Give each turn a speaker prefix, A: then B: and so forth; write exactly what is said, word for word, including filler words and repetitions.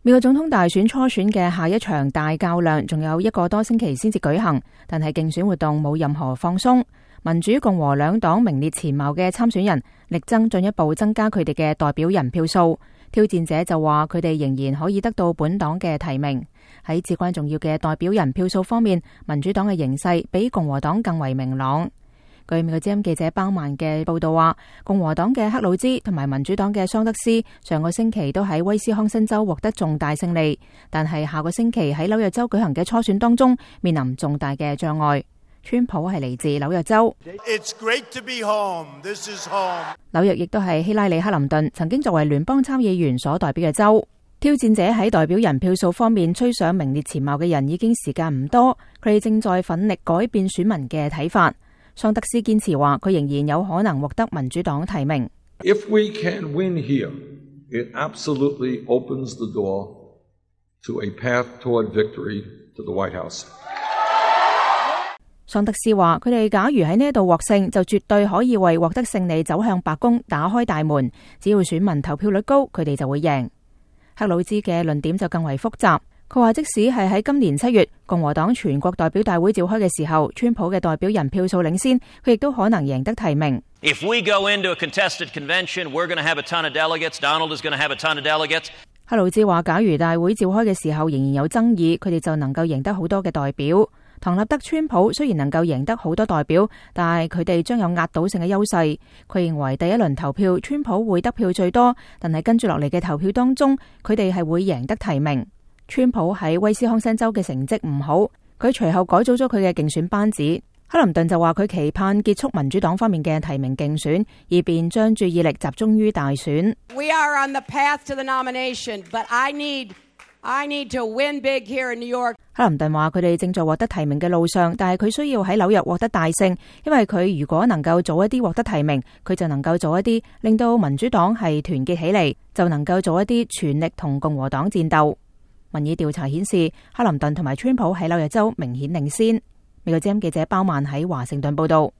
A: 美國總統大選初選嘅下一場大較量仲有一個多星期先至舉行，但係競選活動冇任何放鬆。民主共和兩黨名列前茅嘅參選人力爭進一步增加佢哋嘅代表人票數。挑戰者就話佢哋仍然可以得到本黨嘅提名。喺至關重要嘅代表人票數方面，民主黨嘅形勢比共和黨更為明朗。據美國之音記者包曼嘅報道話，共和黨嘅克魯茲同埋民主黨嘅桑德斯上個星期都喺威斯康辛州獲得重大勝利，但係下個星期喺紐約州舉行嘅初選當中面臨重大嘅障礙。川普係嚟自紐約州，
B: It's great to be home. This is home.
A: 紐約亦都係希拉里克林頓曾經作為聯邦參議員所代表嘅州。挑戰者喺代表人票數方面吹上名列前茅嘅人已經時間唔多，佢哋正在奮力改變選民嘅睇法。桑德斯堅持話佢仍然有可能獲得民主黨提名。
C: If we can win here, it absolutely opens the door to a path toward victory to the White House.
A: 桑德斯話佢哋假如喺呢一度獲勝，就絕對可以為獲得勝利走向白宮打開大門。只要選民投票率高，佢哋就會贏。克魯茲嘅論點就更為複雜。佢話即使係喺今年七月共和黨全國代表大會召開嘅時候，川普嘅代表人票數領先，佢亦都可能贏得提名。
D: If we go into a contested convention, we're going to have a ton of delegates. Donald is going to have a ton of delegates.
A: 克魯茲話假如大會召開嘅時候仍然有爭議，佢哋就能夠贏得好多嘅代表。唐納德川普雖然能夠贏得好多代表，但係佢哋將有壓倒性嘅優勢。佢認為第一輪投票川普會得票最多，但係跟住落嚟嘅投票當中，佢哋係會贏得提名。川普喺威斯康辛州嘅成績唔好，佢隨後改組咗佢嘅競選班子。克林頓就話佢期盼結束民主黨方面嘅提名競選，以便將注意力集中於大選。
E: We are on the path to the nomination, but I need, I need to win big here in New York.
A: 克林頓話佢哋正在獲得提名嘅路上，但係佢需要喺紐約獲得大勝，因為佢如果能夠早一啲獲得提名，佢就能夠早一啲令到民主黨係團結起嚟，就能夠早一啲全力同共和黨戰鬥。民意調查顯示，克林頓同埋川普喺紐約州明顯領先。美國之音記者包曼喺華盛頓報道。